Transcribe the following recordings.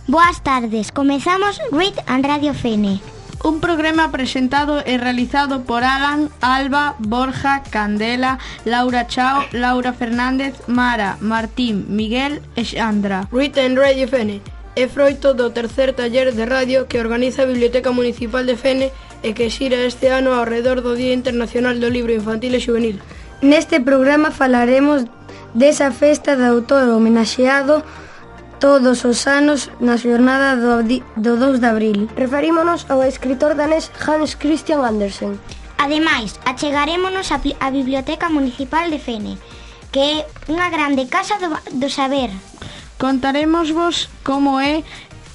Boas tardes, comezamos Read and Radio Fene. Un programa presentado e realizado por Alan, Alba, Borja, Candela, Laura Chao, Laura Fernández, Mara, Martín, Miguel e Xandra. Read and Radio Fene é froito do tercer taller de radio que organiza a Biblioteca Municipal de Fene e que xira este ano ao redor do Día Internacional do Libro Infantil e Xuvenil. Neste programa falaremos desa festa de autor homenaxeado todos os anos na xornada do 2 de abril. Referímonos ao escritor danés Hans Christian Andersen. Ademais, achegarémonos á Biblioteca Municipal de Fene, que é unha grande casa do saber. Contarémosvos como é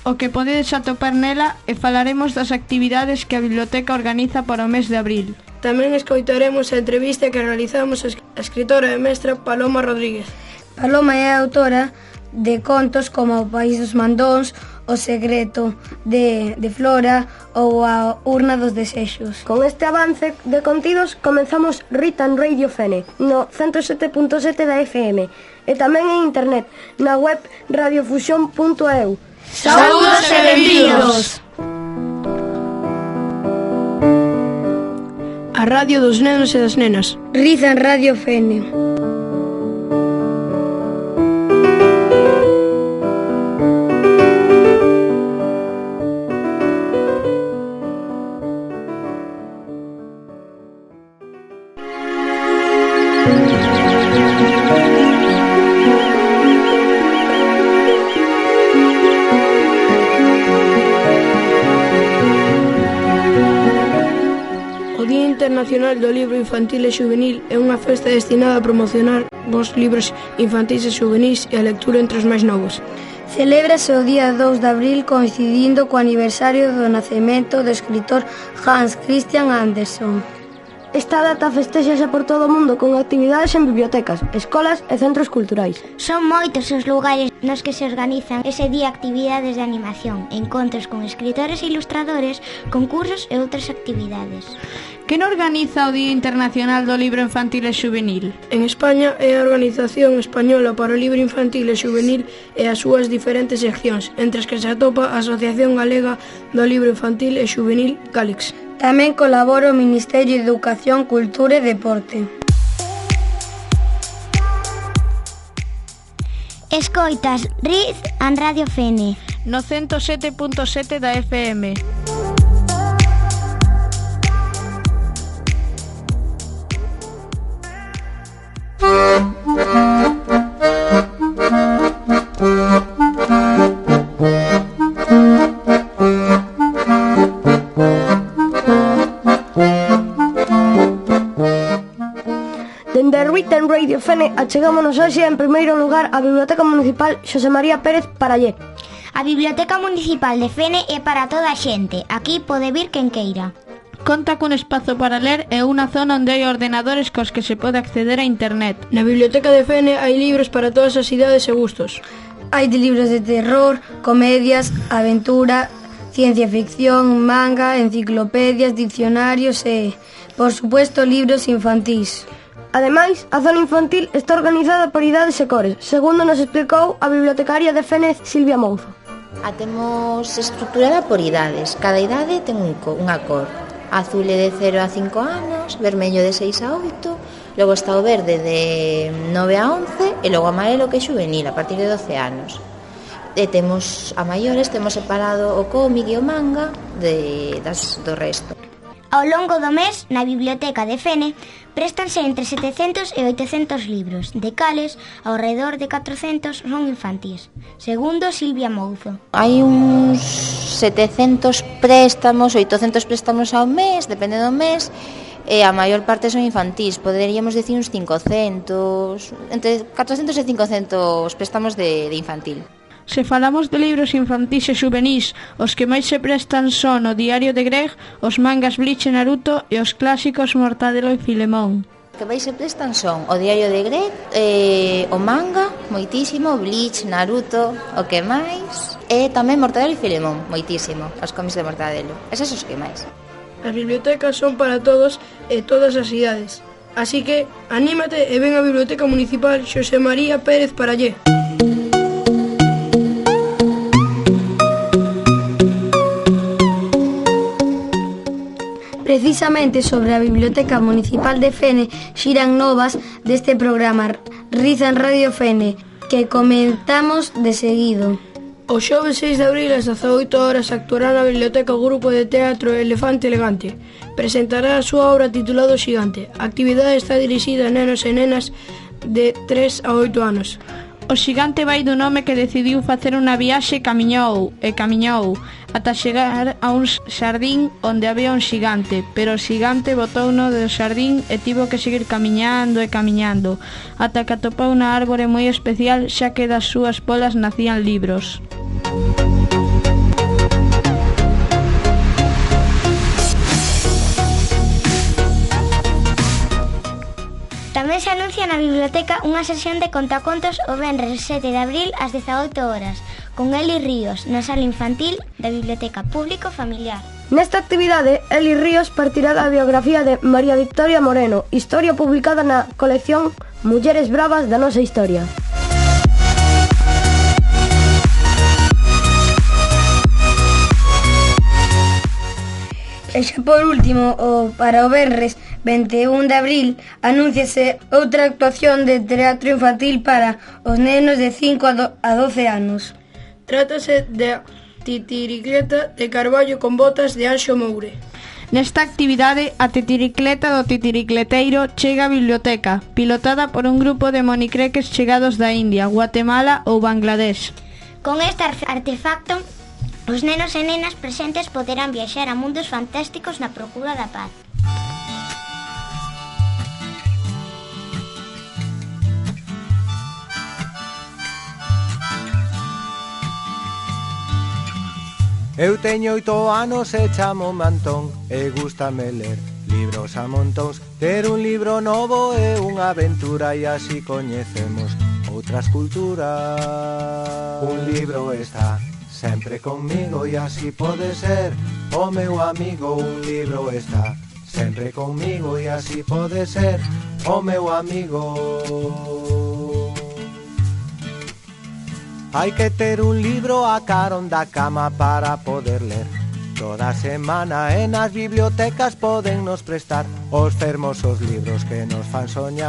o que podedes atopar nela e falaremos das actividades que a biblioteca organiza para o mes de abril. Tamén escoitaremos a entrevista que realizamos a escritora e mestra Paloma Rodríguez. Paloma é a autora de contos como O País dos Mandóns, O Secreto de Flora ou A Urna dos Desexos. Con este avance de contidos comenzamos Read and Radio Fene no 107.7 da FM e tamén en internet na web radiofusión.eu. Saúdos e benvidos! A radio dos nenos e das nenas. Read and Radio Fene. O Día Internacional do Libro Infantil e Xuvenil é unha festa destinada a promocionar os libros infantis e xuvenis e a lectura entre os máis novos. Celébrase o día 2 de abril coincidindo co aniversario do nacemento do escritor Hans Christian Andersen. Esta data festéxase por todo o mundo con actividades en bibliotecas, escolas e centros culturais. Son moitos os lugares nos que se organizan ese día actividades de animación, encontros con escritores e ilustradores, concursos e outras actividades. Quen organiza o Día Internacional do Libro Infantil e Xuvenil? En España é a Organización Española para o Libro Infantil e Xuvenil e as súas diferentes seccións, entre as que se atopa a Asociación Galega do Libro Infantil e Xuvenil, Gálix. Tamén colabora o Ministerio de Educación, Cultura e Deporte. Escoitas Read and Radio Fene No 107.7 da FM. Dende Read and Radio Fene achegámonos hoxe en primeiro lugar á Biblioteca Municipal Xosé María Pérez Parallé. A Biblioteca Municipal de Fene é para toda a xente. Aquí pode vir quen queira. Conta cun espazo para ler e unha zona onde hai ordenadores cos que se pode acceder a internet. Na Biblioteca de Fene hai libros para todas as idades e gustos. Hai de libros de terror, comedias, aventura, ciencia ficción, manga, enciclopedias, diccionarios e, por supuesto, libros infantís. Ademais, a zona infantil está organizada por idades e cores, segundo nos explicou a bibliotecaria de Fene, Silvia Mouzo. A temos estruturada por idades. Cada idade ten unha cor. Azul é de 0 a 5 anos, vermello de 6 a 8, logo está o verde de 9 a 11 e logo amarelo que é xuvenil a partir de 12 anos. E temos a maiores, temos separado o cómic e o manga do resto. Ao longo do mes, na Biblioteca de Fene, préstanse entre 700 e 800 libros, de cales, ao redor de 400 son infantís, segundo Silvia Mouzo. Hai uns 700 préstamos, 800 préstamos ao mes, depende do mes, e a maior parte son infantís, poderíamos decir uns 500, entre 400 e 500 préstamos de infantil. Se falamos de libros infantís e xuvenís, os que máis se prestan son o Diario de Greg, os mangas Bleach e Naruto e os clásicos Mortadelo e Filemón. O que máis se prestan son o Diario de Greg, o manga, moitísimo, Bleach, Naruto, o que máis, e tamén Mortadelo e Filemón, moitísimo, os cómics de Mortadelo. Eses os que máis. As bibliotecas son para todos e todas as idades. Así que, anímate e ven á Biblioteca Municipal Xosé María Pérez Parallé. precisamente sobre a Biblioteca Municipal de Fene xiran novas deste programa Rizan Radio Fene, que comentamos de seguido. O xoves 6 de abril ás 18 horas actuará na Biblioteca o grupo de teatro Elefante Elegante. Presentará a súa obra titulado Xigante. A actividade está dirixida a nenos e nenas de 3 a 8 anos. O xigante vai dun home que decidiu facer unha viaxe e camiñou ata chegar a un xardín onde había un xigante, pero o xigante botouno do xardín e tivo que seguir camiñando ata que atopou unha árbore moi especial, xa que das súas polas nacían libros. Tamén se anuncia na biblioteca unha sesión de contacontos o venres 7 de abril ás 18 horas, con Eli Ríos, na sala infantil da Biblioteca Público Familiar. Nesta actividade, Eli Ríos partirá da biografía de María Victoria Moreno, historia publicada na colección Mulleres Bravas da Nosa Historia. E xa por último, para o venres 21 de abril, anúnciase outra actuación de teatro infantil para os nenos de 5 a 12 anos. Trátase de Titiricleta de Carballo con botas de Anxo Moure. Nesta actividade, a titiricleta do titiricleteiro chega á biblioteca, pilotada por un grupo de monicreques chegados da India, Guatemala ou Bangladesh. Con este artefacto, os nenos e nenas presentes poderán viaxar a mundos fantásticos na procura da paz. Eu teño 8 anos e chamo-me Antón e gústame ler libros a montóns. Ter un libro novo é unha aventura e así coñecemos outras culturas. Un libro está sempre conmigo e así pode ser o meu amigo. Un libro está sempre conmigo e así pode ser o meu amigo. Hai que ter un libro a carón da cama para poder ler toda semana e nas bibliotecas poden nos prestar os fermosos libros que nos fan soñar.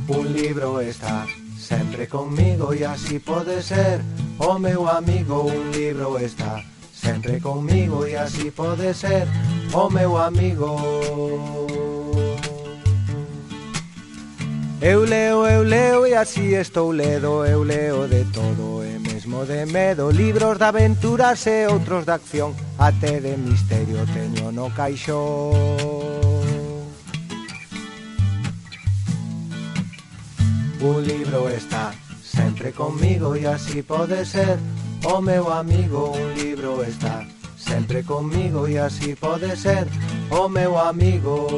Un libro está sempre conmigo e así pode ser o meu amigo. Un libro está sempre conmigo e así pode ser o meu amigo. Eu leo e así estou ledo. Eu leo de todo e mesmo de medo, libros de aventuras e outros de acción, até de misterio teño no caixón. Un libro está sempre conmigo e así pode ser o meu amigo. Un libro está sempre conmigo e así pode ser o meu amigo.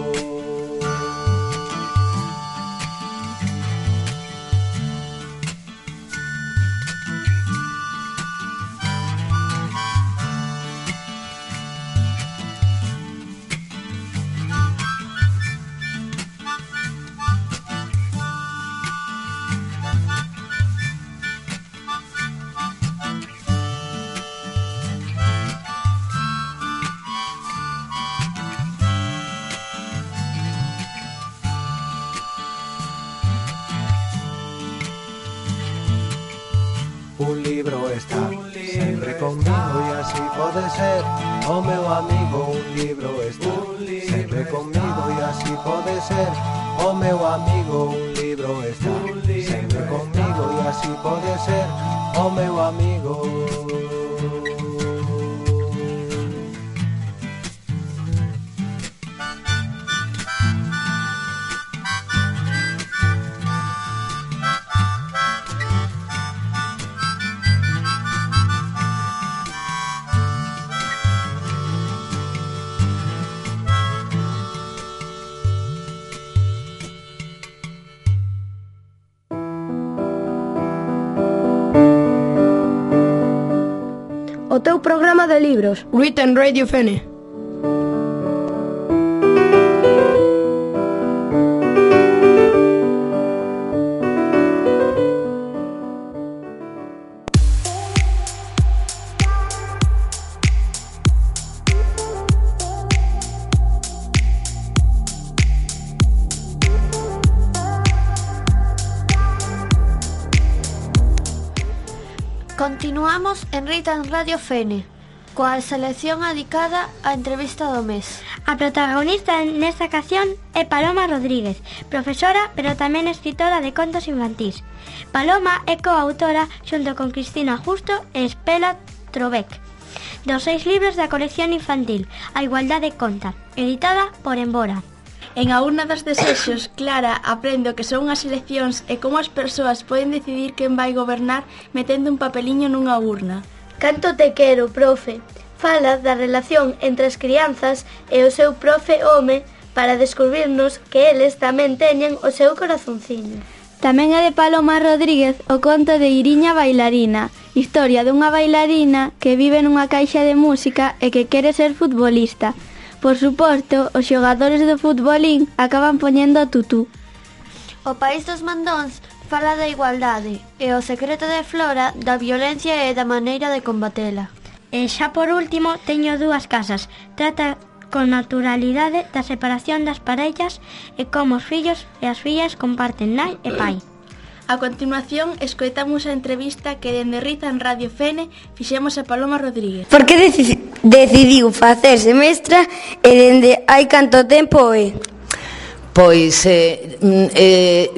Un libro está sempre conmigo e así pode ser o meu amigo. Un libro está sempre conmigo e así pode ser o meu amigo. Un libro está sempre conmigo e así pode ser o meu amigo. O teu programa de libros. Written Radio Fene. Continuamos en Rita en Radio Fene, coa selección adicada á entrevista do mes. A protagonista nesta ocasión é Paloma Rodríguez, profesora pero tamén escritora de contos infantís. Paloma é coautora xunto con Cristina Justo e Espela Trobec dos 6 libros da colección infantil A Igualdade Conta, editada por Embora. En A urna dos desexos, Clara aprende o que son as eleccións e como as persoas poden decidir quen vai gobernar metendo un papeliño nunha urna. Canto te quero, profe. Fala da relación entre as crianzas e o seu profe home para descubrirnos que eles tamén teñen o seu corazonciño. Tamén é de Paloma Rodríguez o conto de Iriña Bailarina, historia dunha bailarina que vive nunha caixa de música e que quere ser futbolista. Por suposto, os xogadores do futbolín acaban poñendo a tutú. O País dos Mandóns fala da igualdade e o secreto de Flora da violencia e da maneira de combatela. E xa por último, teño 2 casas. Trata con naturalidade da separación das parellas e como os fillos e as fillas comparten nai e pai. A continuación, escoitamos a entrevista que dende Rita en Radio Fene fixemos a Paloma Rodríguez. Por que decidiu facerse mestra e dende hai canto tempo é? Pois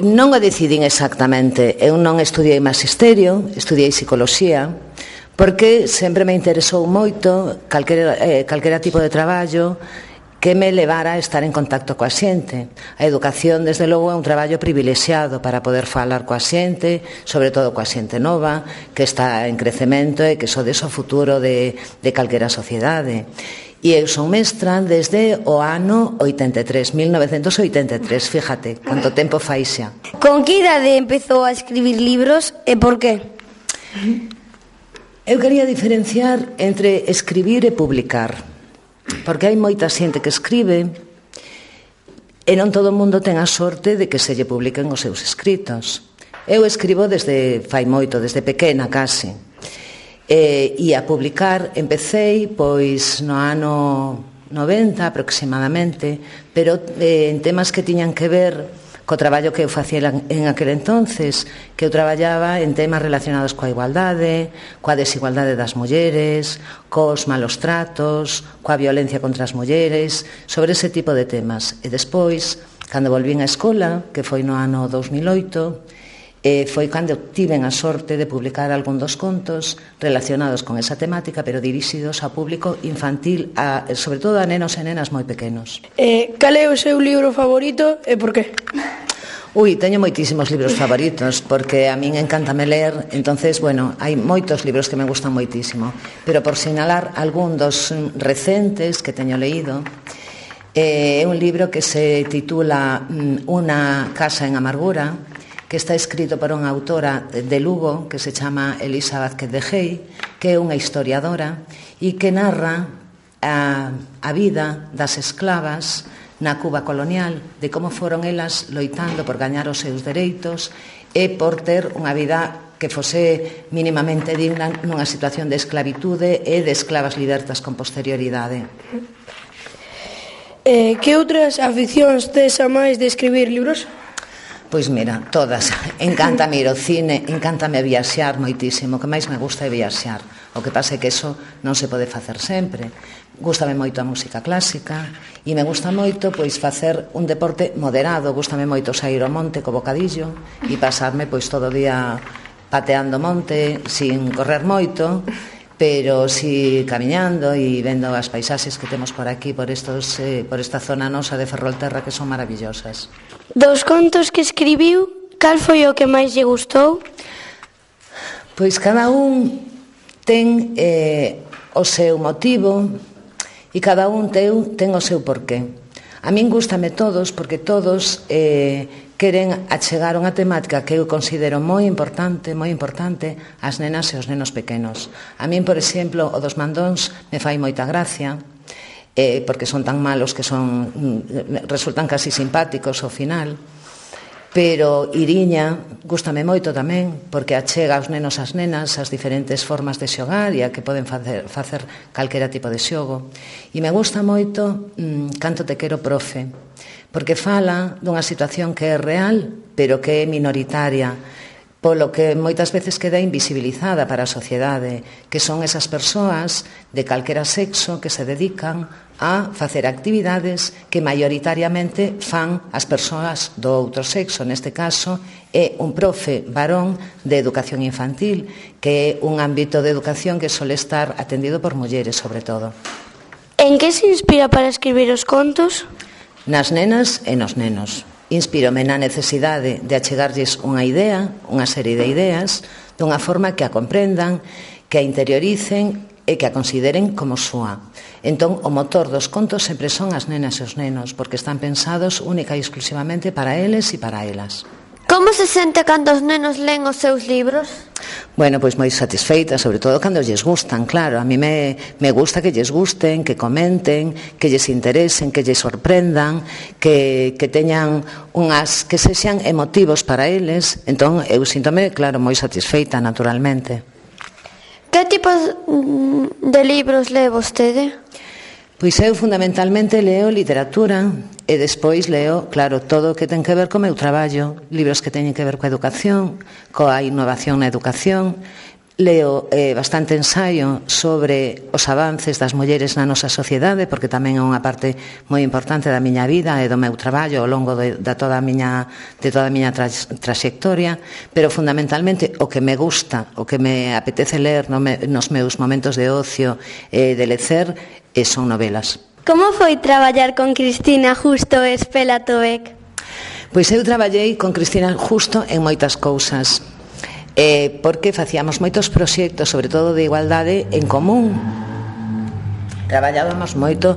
non o decidín exactamente. Eu non estudiei magisterio, estudiei psicoloxía, porque sempre me interesou moito calquera tipo de traballo que me levara a estar en contacto coa xente. A educación, desde logo, é un traballo privilexiado para poder falar coa xente, sobre todo coa xente nova, que está en crecemento e que sodes o futuro de calquera sociedade. E eu son mestra desde o ano 83, 1983, fíjate, canto tempo fai xa. Con que idade empezou a escribir libros e por qué? Eu quería diferenciar entre escribir e publicar, porque hai moita xente que escribe e non todo o mundo ten a sorte de que se lle publiquen os seus escritos. Eu escribo desde fai moito, desde pequena case, e a publicar empecei pois no ano 90 aproximadamente, pero en temas que tiñan que ver co traballo que eu facía en aquel entonces, que eu traballaba en temas relacionados coa igualdade, coa desigualdade das mulleres, cos malos tratos, coa violencia contra as mulleres, sobre ese tipo de temas. E despois, cando volvín á escola, que foi no ano 2008, foi cando tiven a sorte de publicar algún dos contos relacionados con esa temática, pero dirixidos ao público infantil, sobre todo a nenos e nenas moi pequenos. Cal é o seu libro favorito e por qué? Teño moitísimos libros favoritos, porque a min encántame ler, entonces, bueno, hai moitos libros que me gustan moitísimo, pero por sinalar algún dos recentes que teño leído, é un libro que se titula Una casa en amargura, que está escrito por unha autora de Lugo que se chama Elisa Vázquez de Gei, que é unha historiadora e que narra a vida das esclavas na Cuba colonial, de como foron elas loitando por gañar os seus dereitos e por ter unha vida que fose mínimamente digna nunha situación de esclavitude e de esclavas libertas con posterioridade. Que outras aficións tes a máis de escribir libros? Pois mira, todas. Encántame ir ao cine, encántame viaxar moitísimo, o que máis me gusta é viaxar. O que pasa é que eso non se pode facer sempre. Gústame moito a música clásica e me gusta moito pois facer un deporte moderado. Gústame moito sair ao monte co bocadillo e pasarme pois todo o día pateando monte sin correr moito, pero si camiñando e vendo as paisaxes que temos por aquí, por esta zona nosa de Ferrolterra, que son maravillosas. Dos contos que escribiu, cal foi o que máis lle gustou? Pois cada un ten o seu motivo e cada un ten o seu porqué. A min gústame todos, porque todos queren achegar unha temática que eu considero moi importante ás nenas e aos nenos pequenos. A min, por exemplo, o dos mandóns me fai moita gracia, porque son tan malos que resultan casi simpáticos ao final, pero Iriña gústame moito tamén, porque achega aos nenos as nenas as diferentes formas de xogar e a que poden facer calquera tipo de xogo. E me gusta moito Canto te quero, profe, porque fala dunha situación que é real, pero que é minoritaria, polo que moitas veces queda invisibilizada para a sociedade, que son esas persoas de calquera sexo que se dedican a facer actividades que maioritariamente fan as persoas do outro sexo. Neste caso, é un profe varón de educación infantil, que é un ámbito de educación que suele estar atendido por mulleres, sobre todo. En que se inspira para escribir os contos? Nas nenas e nos nenos. Inspírome na necesidade de achegarlles unha idea, unha serie de ideas, dunha forma que a comprendan, que a interioricen e que a consideren como súa. Entón, o motor dos contos sempre son as nenas e os nenos, porque están pensados única e exclusivamente para eles e para elas. Como se sente cando os nenos len os seus libros? Bueno, pois moi satisfeita, sobre todo cando lles gustan, claro. A mí me gusta que lles gusten, que comenten, que lles interesen, que lles sorprendan, que teñan que sexan emotivos para eles. Entón, eu síntome, claro, moi satisfeita, naturalmente. Que tipos de libros lee vostede? Pois eu fundamentalmente leo literatura e despois leo, claro, todo o que ten que ver co meu traballo, libros que teñen que ver coa educación, coa innovación na educación. Leo bastante ensaio sobre os avances das mulleres na nosa sociedade, porque tamén é unha parte moi importante da miña vida e do meu traballo ao longo de toda a miña traxectoria, pero fundamentalmente o que me gusta, o que me apetece ler nos meus momentos de ocio e de lecer son novelas. Como foi traballar con Cristina Justo e Espela Tobek? Pois eu traballei con Cristina Justo en moitas cousas, porque facíamos moitos proxectos, sobre todo de igualdade, en común. Traballábamos moito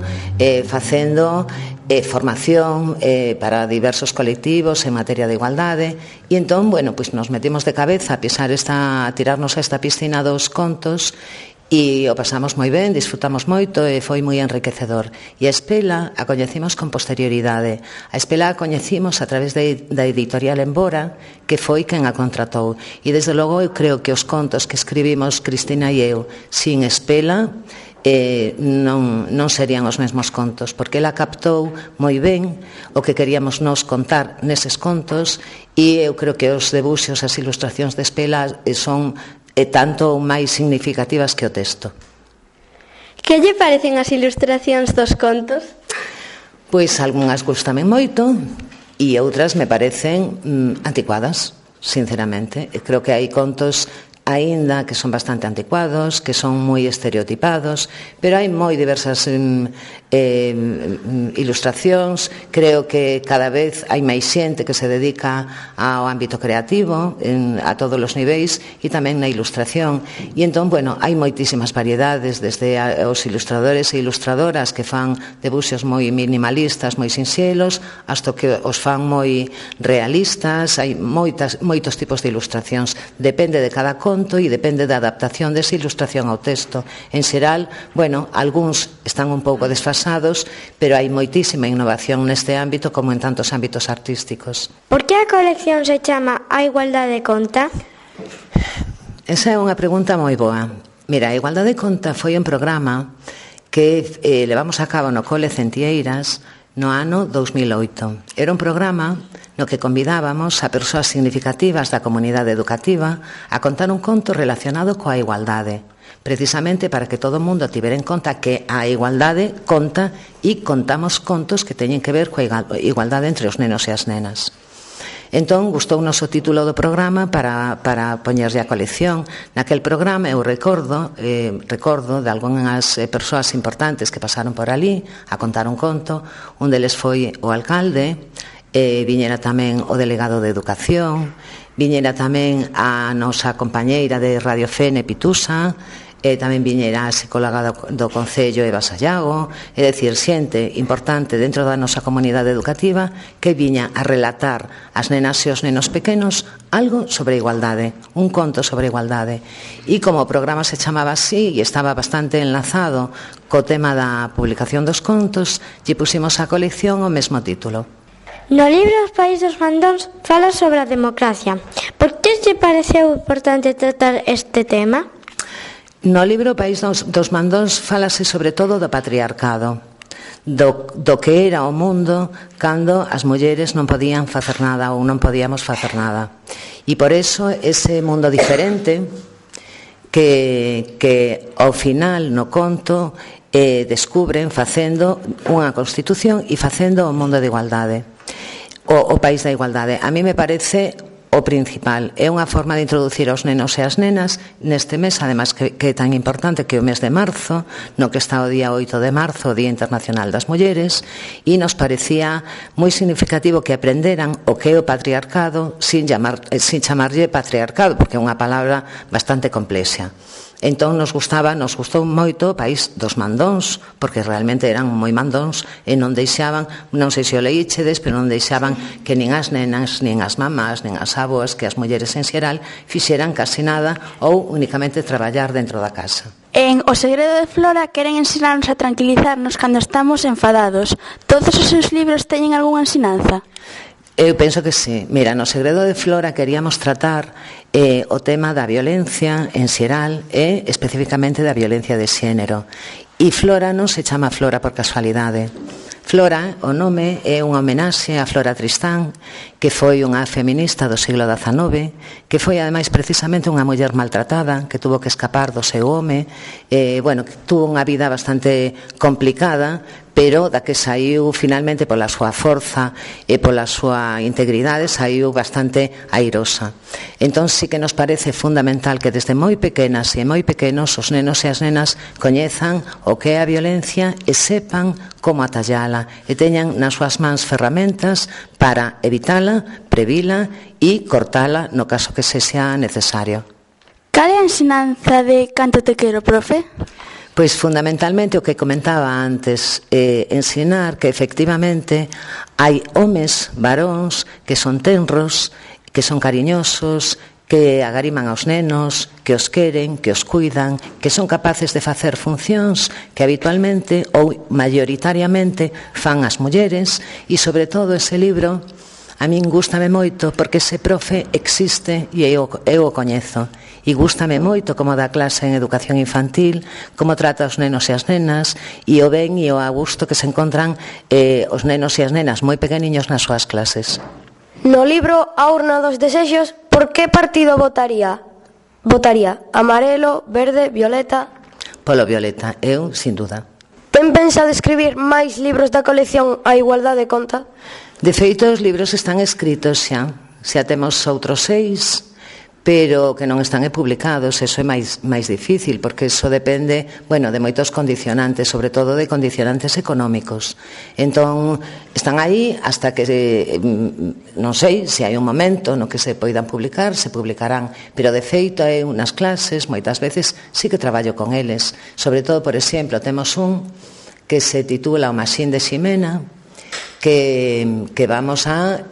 facendo formación para diversos colectivos en materia de igualdade, e entón, bueno, pois nos metimos de cabeza a tirarnos a esta piscina dos contos, e o pasamos moi ben, disfrutamos moito e foi moi enriquecedor. E a Espela a coñecimos con posterioridade. A Espela a coñecimos a través da editorial Embora, que foi quen a contratou. E desde logo eu creo que os contos que escribimos Cristina e eu sin Espela non serían os mesmos contos, porque ela captou moi ben o que queríamos nos contar neses contos, e eu creo que os debuxos, as ilustracións de Espela son tanto máis significativas que o texto. Que lle parecen as ilustracións dos contos? Pois algunhas gustame moito e outras me parecen anticuadas, sinceramente. Creo que hai contos aínda que son bastante anticuados, que son moi estereotipados, pero hai moi diversas ilustracións. Creo que cada vez hai máis xente que se dedica ao ámbito creativo a todos os niveis e tamén na ilustración, e entón, bueno, hai moitísimas variedades, desde os ilustradores e ilustradoras que fan debuxos moi minimalistas, moi sinxelos, hasta que os fan moi realistas. Hai moitos tipos de ilustracións, depende de cada conto e depende da adaptación desa ilustración ao texto. En xeral, bueno, algúns están un pouco desfasados, pero hai moitísima innovación neste ámbito como en tantos ámbitos artísticos. Por que a colección se chama A Igualdade Conta? Esa é unha pregunta moi boa. Mira, A Igualdade Conta foi un programa que levamos a cabo no Cole Centieiras no ano 2008. Era un programa no que convidábamos a persoas significativas da comunidade educativa a contar un conto relacionado coa igualdade, precisamente para que todo o mundo tivera en conta que a igualdade conta e contamos contos que teñen que ver coa igualdade entre os nenos e as nenas. Entón, gustounos o título do programa para poñerlle a colección. Naquel programa eu recordo de algunhas persoas importantes que pasaron por ali a contar un conto. Un deles foi o alcalde, viñera tamén o delegado de Educación, viñera tamén a nosa compañeira de Radio Fene, Pitusa, tamén viñera a psicóloga do Concello, Eva Sallago, é dicir, xente importante dentro da nosa comunidade educativa que viña a relatar ás nenas e os nenos pequenos algo sobre igualdade, un conto sobre igualdade. E como o programa se chamaba así e estaba bastante enlazado co tema da publicación dos contos, lle pusimos a colección o mesmo título. No libro Os País dos Mandóns fala sobre a democracia. Por que lle pareceu importante tratar este tema? No libro País dos Mandóns falase sobre todo do patriarcado, do que era o mundo cando as mulleres non podían facer nada ou non podíamos facer nada. E por eso ese mundo diferente que ao final no conto descubren facendo unha constitución e facendo o mundo de igualdade, o país da igualdade. A mí me parece o principal. É unha forma de introducir aos nenos e as nenas neste mes, además que é tan importante que o mes de marzo, no que está o día 8 de marzo, o Día Internacional das Mulleres, e nos parecía moi significativo que aprenderan o que é o patriarcado sin chamarlle patriarcado, porque é unha palabra bastante complexa. Entón nos gustou moito o país dos mandóns, porque realmente eran moi mandóns e non deixaban, non sei se o leíchedes, pero non deixaban que nin as nenas, nin as mamás, nin as avoas, que as mulleres en xeral fixeran casi nada ou únicamente traballar dentro da casa. En O segredo de Flora queren ensinarnos a tranquilizarnos cando estamos enfadados. Todos os seus libros teñen algunha ensinanza? Eu penso que sí. Mira, no segredo de Flora queríamos tratar o tema da violencia en xeral e especificamente da violencia de xénero. E Flora non se chama Flora por casualidade. Flora, o nome, é unha homenaxe a Flora Tristán, que foi unha feminista do siglo XIX, que foi ademais precisamente unha muller maltratada, que tuvo que escapar do seu home, que tuvo unha vida bastante complicada, pero da que saiu finalmente pola súa forza e pola súa integridade, saiu bastante airosa. Entón sí que nos parece fundamental que desde moi pequenas e moi pequenos os nenos e as nenas coñezan o que é a violencia e sepan como atallala e teñan nas súas mans ferramentas para evitala, previla e cortala no caso que sexa necesario. Cal é a ensinanza de Canto te quero, profe? Pois fundamentalmente o que comentaba antes, ensinar que efectivamente hai homes, varóns, que son tenros, que son cariñosos, que agariman aos nenos, que os queren, que os cuidan, que son capaces de facer funcións que habitualmente ou maioritariamente fan as mulleres, e sobre todo ese libro a min gústame moito porque ese profe existe e eu o coñezo, e gústame moito como dá clase en educación infantil, como trata os nenos e as nenas, e o ben e o a gusto que se encontran os nenos e as nenas moi pequeniños nas súas clases. No libro A urna dos desexos, por que partido votaría? Votaría amarelo, verde, violeta? Polo violeta, eu, sin duda. Ten pensado escribir máis libros da colección A igualdade conta? De feito, os libros están escritos xa. Xa temos outros 6, pero que non están publicados. Eso é máis difícil, porque eso depende, de moitos condicionantes, sobre todo de condicionantes económicos. Entón, están aí hasta que, non sei, se hai un momento no que se poidan publicar, se publicarán. Pero, de feito, hai unhas clases, moitas veces, sí que traballo con eles. Sobre todo, por exemplo, temos un que se titula O Maxín de Ximena, que vamos a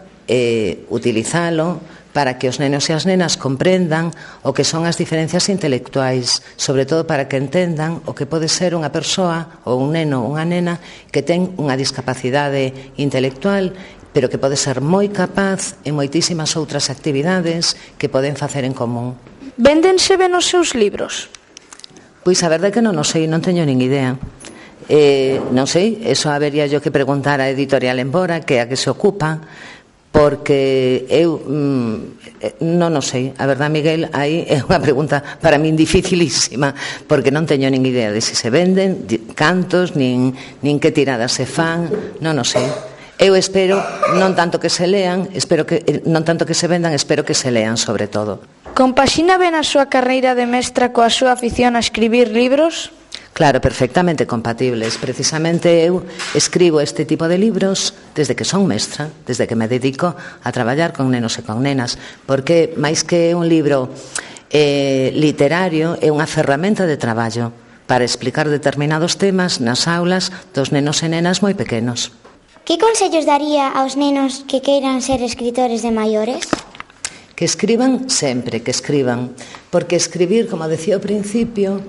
utilizalo para que os nenos e as nenas comprendan o que son as diferencias intelectuais, sobre todo para que entendan o que pode ser unha persoa ou un neno ou unha nena que ten unha discapacidade intelectual, pero que pode ser moi capaz en moitísimas outras actividades que poden facer en común. Véndense ben os seus libros? Pois a verdade é que non o sei, non teño nin idea. Non sei, eso habería yo que preguntar a Editorial Embora, que é a que se ocupa, porque eu non o sei. A verdade, Miguel, aí é unha pregunta para min dificilísima, porque non teño nin idea de se venden, cantos, nin que tiradas se fan, non o sei. Eu espero non tanto que se lean, non tanto que se vendan, espero que se lean sobre todo. Compaxina ben a súa carreira de mestra coa súa afición a escribir libros? Claro, perfectamente compatibles. Precisamente eu escribo este tipo de libros desde que son mestra, desde que me dedico a traballar con nenos e con nenas, porque máis que un libro literario é unha ferramenta de traballo para explicar determinados temas nas aulas dos nenos e nenas moi pequenos. Que consellos daría aos nenos que queiran ser escritores de maiores? Que escriban sempre, que escriban, porque escribir, como decía ao principio,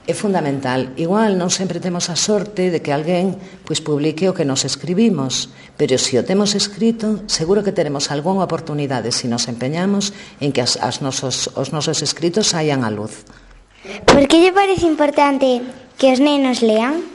é fundamental. Igual non sempre temos a sorte de que alguén publique o que nos escribimos, pero se o temos escrito, seguro que teremos algunha oportunidade se nos empeñamos en que os nosos escritos saian á luz. Por que lle parece importante que os nenos lean?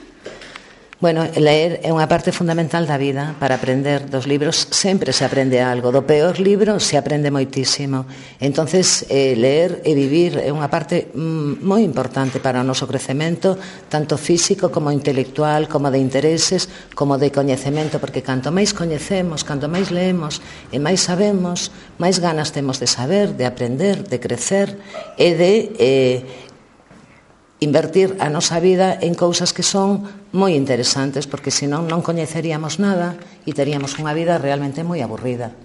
Bueno, ler é unha parte fundamental da vida para aprender. Dos libros sempre se aprende algo. Do peor libro se aprende moitísimo. Entonces, ler e vivir é unha parte moi importante para o noso crecemento, tanto físico como intelectual, como de intereses, como de coñecemento, porque canto máis coñecemos, canto máis leemos e máis sabemos, máis ganas temos de saber, de aprender, de crecer e de invertir a nosa vida en cousas que son moi interesantes, porque senón non coñeceríamos nada e teríamos unha vida realmente moi aburrida.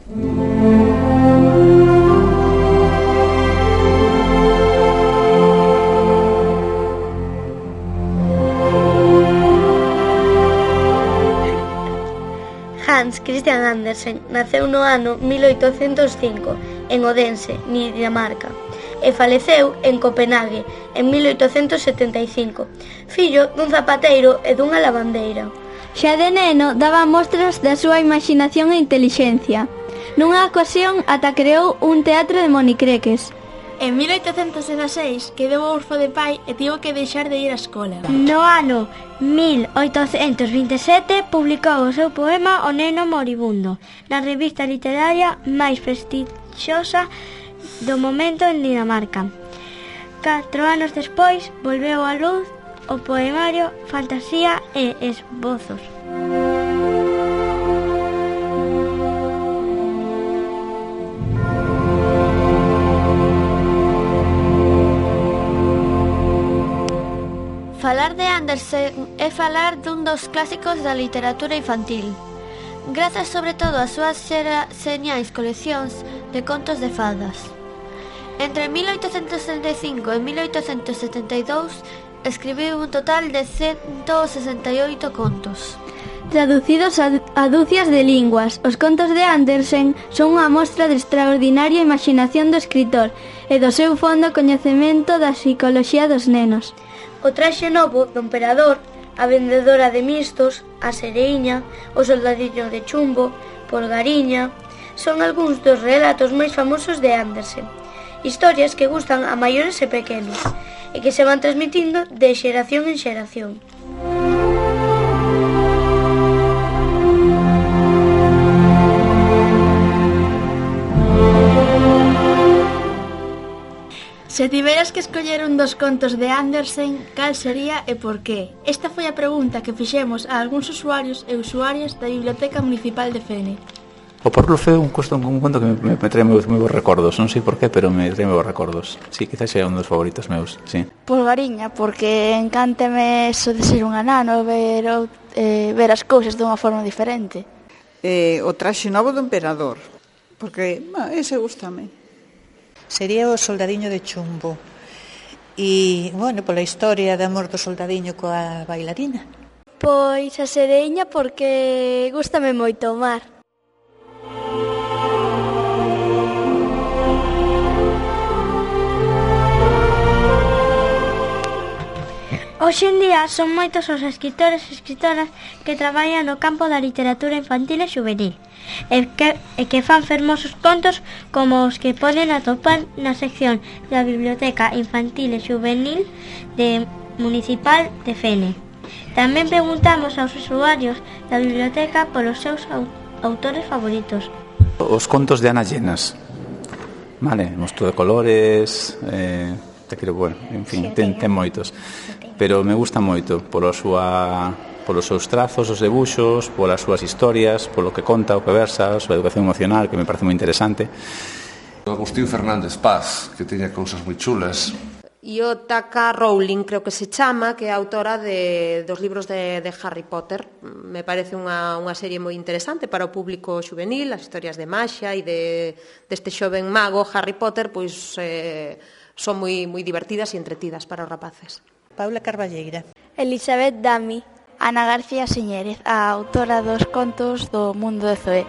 Hans Christian Andersen naceu no ano 1805 en Odense, Dinamarca, e faleceu en Copenhague en 1875, fillo dun zapateiro e dunha lavandeira. Xa de neno daba mostras da súa imaginación e intelixencia. Nunha ocasión ata creou un teatro de monicreques. En 1816 quedou orfo de pai e tivo que deixar de ir á escola. No ano 1827 publicou o seu poema O neno moribundo na revista literaria máis prestixiosa do momento en Dinamarca. 4 anos despois volveu á luz o poemario Fantasía e esbozos. Falar de Andersen é falar dun dos clásicos da literatura infantil, grazas sobre todo ás súas señais coleccións de contos de fadas. Entre 1865 e 1872 escribiu un total de 168 contos. Traducidos a dúcias de linguas, os contos de Andersen son unha mostra de extraordinaria imaginación do escritor e do seu fondo coñecemento da psicoloxía dos nenos. O traxe novo do emperador, a vendedora de mistos, a sereiña, o soldadiño de chumbo, Polgariña, son algúns dos relatos máis famosos de Andersen. Historias que gustan a maiores e pequenos e que se van transmitindo de xeración en xeración. Se tiveras que escoller un dos contos de Andersen, cal sería e por qué? Esta foi a pregunta que fixemos a algúns usuarios e usuarias da Biblioteca Municipal de Fene. O Porlo foi un conto que me trae moi bons recordos, non sei por qué, pero me trae moi bons recordos. Sí, quizás sea un dos favoritos meus, sí. Polgariña, porque encánteme eso de ser un anano, ver as cousas dunha forma diferente. O traxe novo do emperador, porque ese gustame. Sería o soldadiño de chumbo. E, bueno, pola historia de amor do soldadiño coa bailarina. Pois a sereiña porque gústame moito o mar. Hoxe en día son moitos os escritores e escritoras que traballan no campo da literatura infantil e juvenil e que fan fermosos contos como os que poden atopar na sección da Biblioteca Infantil e Juvenil Municipal de Fene. Tamén preguntamos aos usuarios da biblioteca polos seus autores favoritos. Os contos de Ana Llenas, vale, Mosto de colores, te quero, bueno, en fin, ten moitos. Pero me gusta moito polos seus trazos, os debuxos, polas súas historias, polo que conta, o que versa, a súa educación emocional, que me parece moi interesante. Agustín Fernández Paz, que teña cousas moi chulas. E o J.K. Rowling, creo que se chama, que é autora dos libros de Harry Potter. Me parece unha serie moi interesante para o público juvenil, as historias de maxia e deste xoven mago Harry Potter, pois son moi divertidas e entretidas para os rapaces. Paula Carballeira. Elizabeth Dami. Ana García Señérez, a autora dos contos do mundo de Zoé.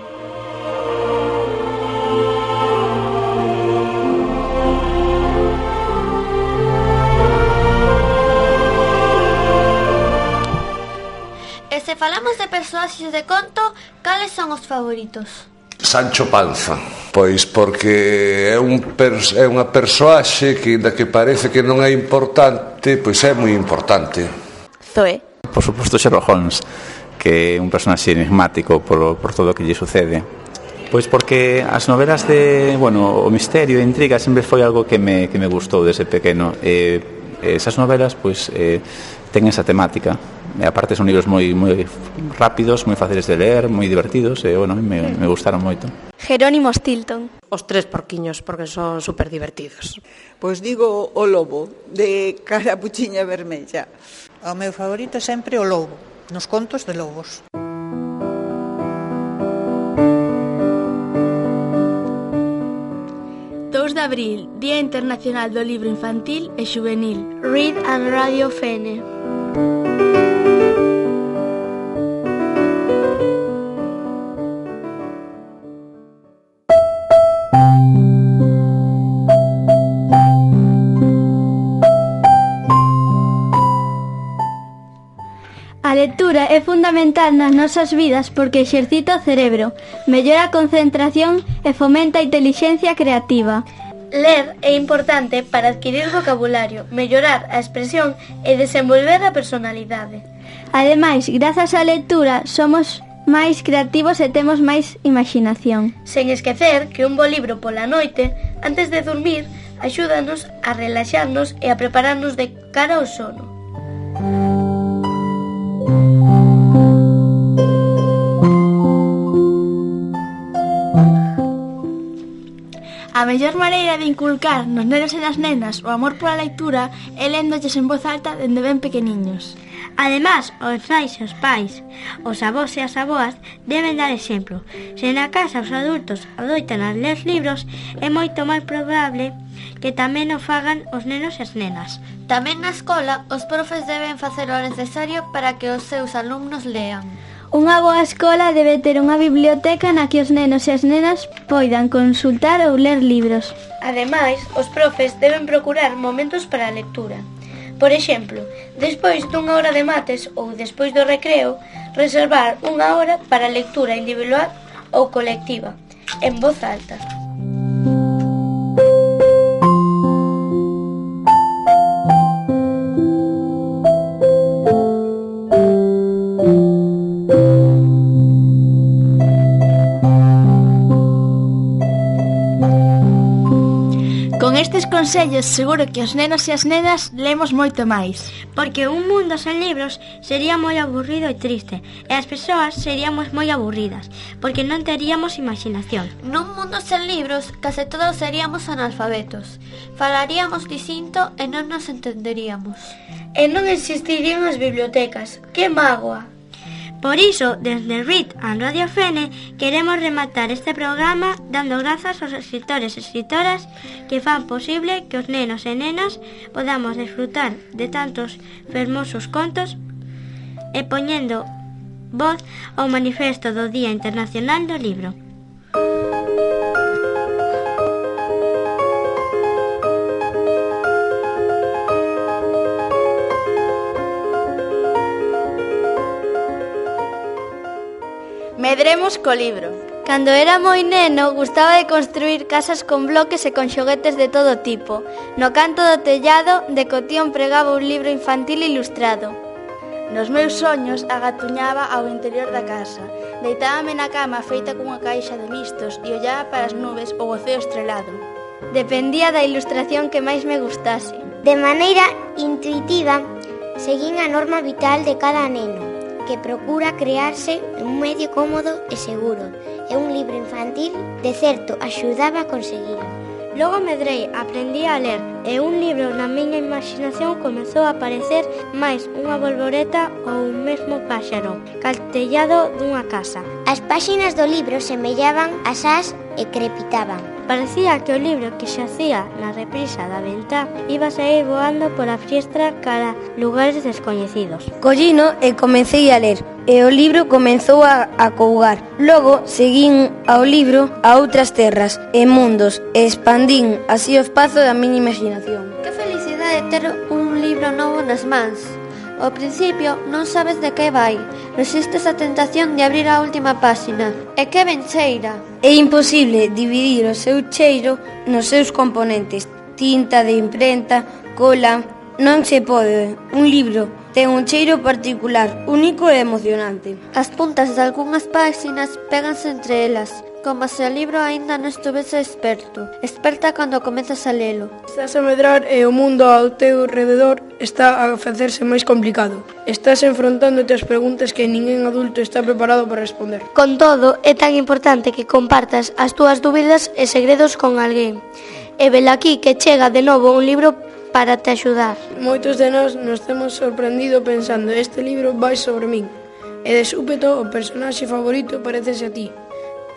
E se falamos de persoaxes de conto, cales son os favoritos? Sancho Panza, pois porque é unha persoaxe que, da que parece que non é importante, pois é moi importante. Zoé. Por suposto, Sherlock Holmes, que é un personaxe enigmático por todo o que lle sucede. Pois porque as novelas de, o misterio e a intriga sempre foi algo que me gustou desde pequeno. Esas novelas, pois, ten esa temática. E aparte son libros moi rápidos, moi fáciles de ler, moi divertidos, e, me gustaron moito. Jerónimo Stilton. Os tres porquiños, porque son super divertidos. Pois digo o lobo, de Carapuchiña Vermella. O meu favorito é sempre o lobo, nos contos de lobos. 2 de abril, Día Internacional do Libro Infantil e Xuvenil. Read and Radio Fene. A lectura é fundamental nas nosas vidas porque exercita o cerebro, mellora a concentración e fomenta a intelixencia creativa. Ler é importante para adquirir vocabulario, mellorar a expresión e desenvolver a personalidade. Ademais, grazas á lectura, somos máis creativos e temos máis imaginación. Sen esquecer que un bo libro pola noite, antes de dormir, axúdanos a relaxarnos e a prepararnos de cara ao sono. A mellor maneira de inculcar nos nenos e nas nenas o amor pola lectura é léndolles en voz alta dende ben pequeniños. Además, os nais e os pais, os avós e as avoas deben dar exemplo. Se na casa os adultos adoitan a ler libros, é moito máis probable que tamén o fagan os nenos e as nenas. Tamén na escola, os profes deben facer o necesario para que os seus alumnos lean. Unha boa escola debe ter unha biblioteca na que os nenos e as nenas poidan consultar ou ler libros. Ademais, os profes deben procurar momentos para a lectura. Por exemplo, despois dunha hora de mates ou despois do recreo, reservar unha hora para a lectura individual ou colectiva, en voz alta. Con estes consellos seguro que os nenos e as nenas lemos moito máis. Porque un mundo sen libros sería moi aburrido e triste, e as persoas seríamos moi aburridas, porque non teríamos imaginación. Nun mundo sen libros, case todos seríamos analfabetos. Falaríamos distinto e non nos entenderíamos. E non existirían as bibliotecas. Que mágoa! Por iso, desde Read and Radio Fene, queremos rematar este programa dando grazas aos escritores e escritoras que fan posible que os nenos e nenas podamos disfrutar de tantos fermosos contos e poñendo voz ao manifesto do Día Internacional do Libro. Medremos co libro. Cando era moi neno, gustaba de construir casas con bloques e con xoguetes de todo tipo. No canto do tellado, de cotión pregaba un libro infantil ilustrado. Nos meus soños, agatuñaba ao interior da casa. Deitábame na cama feita cunha caixa de mistos e ollaba para as nubes ou o ceo estrelado. Dependía da ilustración que máis me gustase. De maneira intuitiva, seguín a norma vital de cada neno, que procura crearse un medio cómodo e seguro, e un libro infantil, de certo, axudaba a conseguilo. Logo medrei, aprendí a ler, e un libro na miña imaginación comezou a aparecer máis unha bolboreta ou un mesmo páxaro, caltellado dunha casa. As páxinas do libro semellaban as ás e crepitaban. Parecía que o libro que xacía na reprisa da ventá iba a sair voando pola fiestra cara lugares descoñecidos. Collino e comecei a ler, e o libro comezou a cougar. Logo seguín ao libro a outras terras e mundos e expandín así o espazo da miña imaginación. Que felicidade ter un libro novo nas mans. Ao principio non sabes de que vai, resistes a tentación de abrir a última páxina. E que ben cheira! É imposible dividir o seu cheiro nos seus componentes: tinta de imprenta, cola, Non se pode. Un libro ten un cheiro particular, único e emocionante. As puntas de algunhas páxinas péganse entre elas, como se o libro aínda non estuvese experta cando comezas a lelo. Estás a medrar e o mundo ao teu rededor está a facerse máis complicado. Estás enfrontándote ás preguntas que ningún adulto está preparado para responder. Con todo, é tan importante que compartas as túas dúbidas e segredos con alguén. E velaquí que chega de novo un libro para te axudar. Moitos de nós nos temos sorprendido pensando este libro vai sobre min. E de súpeto o personaxe favorito parecese a ti.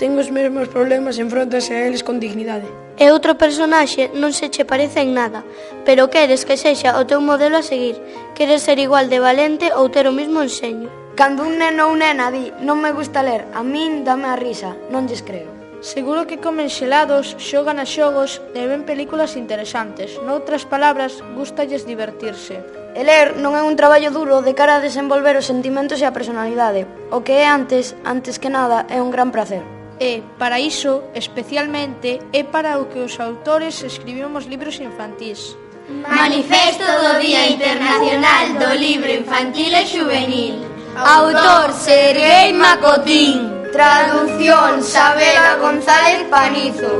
Ten os mesmos problemas e enfróntase a eles con dignidade. E outro personaxe non se che parece en nada, pero queres que sexa o teu modelo a seguir. Queres ser igual de valente ou ter o mesmo enseño. Cando un neno ou nena di non me gusta ler, a min dame a risa, non lles creo. Seguro que comen xelados, xogan a xogos e ven películas interesantes. Noutras palabras, gústalles divertirse. E ler non é un traballo duro de cara a desenvolver os sentimentos e a personalidade. O que é antes que nada, é un gran prazer. E, para iso, especialmente, é para o que os autores escribimos libros infantís. Manifesto do Día Internacional do Libro Infantil e Xuvenil. Autor Serguei Macotín. Traducción Sabela González Panizo.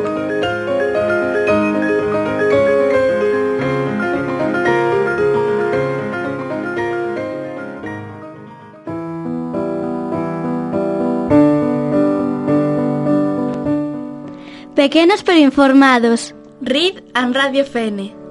Pequenos pero informados. RID and Radio Fene.